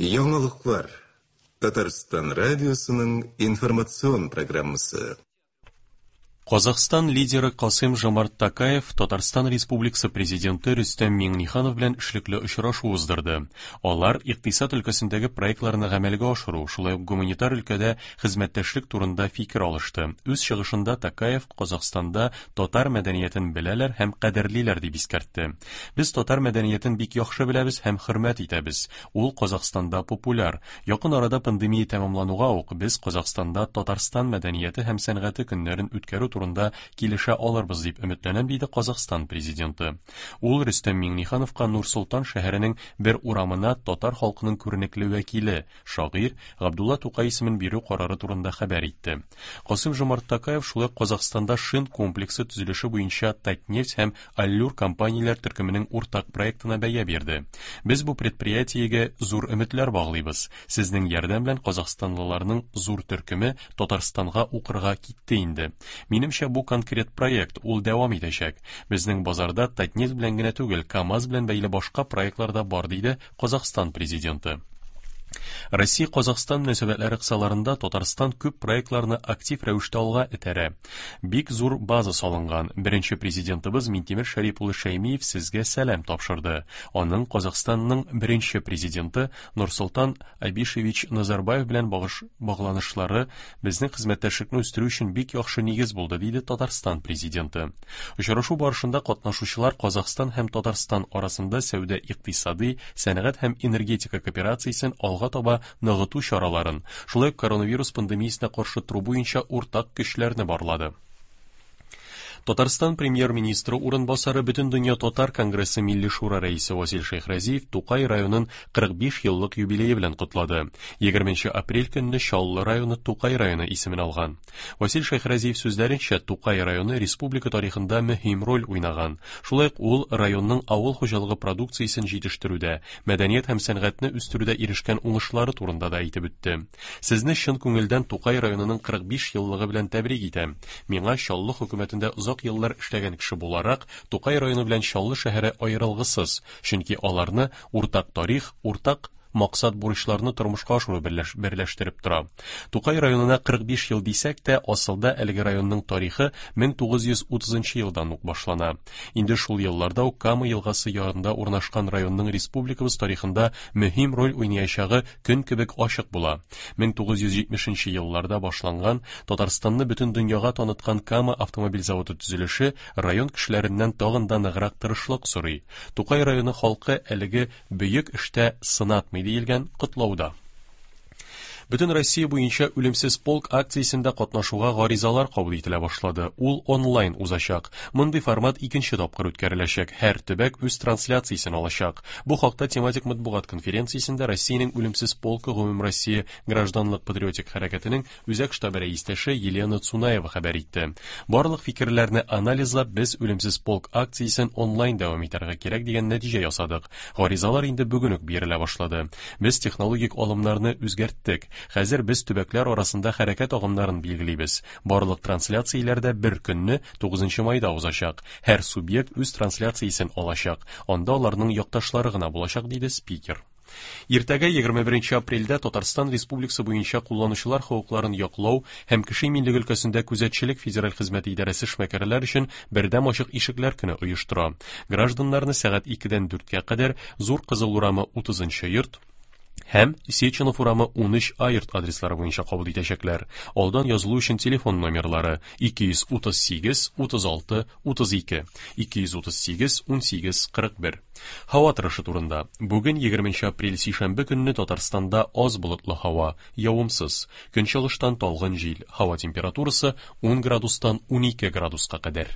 Яңалыклар. Татарстан радиосының информацион программасы. Казахстан лидеры Касым Жомарт Токаев Татарстан Республикасы Президенты Рөстәм Миңнеханов белән эшлекле очрашу уздырды. Алар икътисад өлкәсендәге проектларны гамәлгә ашыру, шулай ук гуманитар өлкәдә хезмәттәшлек турында фикер алышты. Үз чыгышында Токаев Казахстанда татар мәдәниятен беләләр һәм кадерлиләр дип искәртте. Без татар мәдәниятен бик яхшы беләбез һәм хөрмәт итәбез. Ул Казахстанда популяр. Якын арада пандемия тәмамлануга ук без Казахстанда Татарстан мәдәнияте һәм сәнгате көннәрен үткәрү турында килешә алырбыз дип өметләнәм, диде Казахстан президенты. Ул Рөстәм Миңнехановка Нур-Солтан шәһәренең бер урамына татар халкының күренекле вәкиле, шагыйрь Габдулла Тукай исемен бирү карары турында хәбәр итте. Касыйм-Жомарт Токаев шулай ук Казахстанда шин комплексы төзелеше буенча Татнефть һәм Аллюр компанияләр төркеменең уртак проектына бәя бирде. Без бу предприятиегә зур өметләр баглыйбыз. Сезнең ярдәм белән казахстанлыларның зур төркеме Татарстанга укырга китте инде. Минемчә, бу конкрет проект, ул дәвам итәчәк. Безнең базарда Татнефть белән генә түгел, КАМАЗ белән бәйле башка проектлар да бар, диде Казахстан Президенты. Россия-Казахстан мөнәсәбәтләре кысаларында Татарстан күп проектларны актив рәвештә алга этәрә. Бик зур база салынган. Беренче президентыбыз Минтимер Шәрип улы Шәймиев сезгә сәлам тапшырды. Аның Казахстанның беренче президенты Нурсолтан Абишевич Назарбаев белән багыш багланышлары безнең хезмәттәшлекне үстерү өчен бик яхшы нигез булды, диде Татарстан президенты. Очрашу барышында катнашучылар Казахстан һәм Татарстан арасында сәүдә-икътисадый, сәнәгать һәм энергетика кооперациясен алга таба ныгыту чараларын, шулай ук коронавирус пандемиясенә каршы тору буенча уртак көчләрне барлады. Татарстан премьер-министры урынбасары Бөтендөнья татар конгрессы Милли шура рәисе Васил Шәйхразиев Тукай районын 45 еллык юбилее белән котлады. 20 апрель көнне Чаллы районы Тукай районы исемен алган. Васил Шәйхразиев сүзләренчә, Тукай районы республика тарихында мөһим роль уйнаган. Шулай ук ул районның авыл хуҗалыгы продукциясен җитештерүдә, мәдәният һәм сәнгатьне үстерүдә ирешкән уңышлары турында да әйтеп үтте. Сезне чын күңелдән Тукай районының 45 еллыгы белән тәбрик итәм. Миңа Чаллы хөкүмәтендә озак еллар эшләгән кеше буларак, Тукай районы белән Чаллы шәһәре аерылгысыз, чөнки аларны уртак тарих, уртак максат-бурычларны тормышка ашыру берләштереп тора. Тукай районына 45 ел дисәк тә, асылда әлеге районның тарихы 1930 елдан ук башлана. Инде шул елларда ук Кама елгасы ярында урнашкан районның республикабыз тарихында мөһим роль уйнаячагы көн кебек ачык була. 1970 нче елларда башланган, Татарстанны бөтен дөньяга таныткан Кама автомобиль заводы төзелеше район кешеләреннән тагын да ныграк тырышлык сорый. Тукай районы халкы әлеге бөек эштә сынатмый, диелгән котлауда. Бөтен Россия буенча Үлемсез полк акциясендә катнашуга гаризалар кабул ителә башлады. Ул онлайн узачак. Мондый формат икенче тапкыр үткәреләчәк. Һәр төбәк үз трансляциясен алачак. Бу хакта тематик матбугат конференциясендә Россиянең Үлемсез полкы гомумроссия гражданлык-патриотик хәрәкәтенең Үзәк штабы рәистәше Елена Цунаева хәбәр итте. Барлык фикерләрне анализлап, без Үлемсез полк акциясен онлайн дәвам итәргә кирәк дигән нәтиҗә ясадык. Гаризалар инде бүген үк бирелә башлады. Без технологик алымнарны үзгәрттек. Хәзер без төбәкләр арасында хәрәкәт агымнарын билгелибез. Барлык трансляцияләр дә бер көнне, 9 майда узачак. Һәр субъект үз трансляциясен алачак, анда аларның якташлары гына булачак, диде спикер. Иртәгә, 21 апрельдә, Татарстан Республикасы буенча кулланучылар хокукларын яклау һәм кеше иминлеге өлкәсендә күзәтчелек федераль хезмәте идарәсе эшмәкәрләр өчен бердәм ачык ишекләр көне оештыра. Гражданнарны сәгать 2-дән 4-кә кадәр Зур Кызыл урамы 30 нчы йорт, һәм Сеченов урамы 13 А йорт адреслары буенча кабул итәчәкләр. Алдан язылу өчен телефон номерлары 238 36 32, 238 18 41. Һава торышы турында. Бүген 20 апрель сишәмбе көнне Татарстанда аз болытлы һава, явымсыз. Көнчыгыштан талгын җил. Һава температурасы 10 градустан 12 градуска кадәр.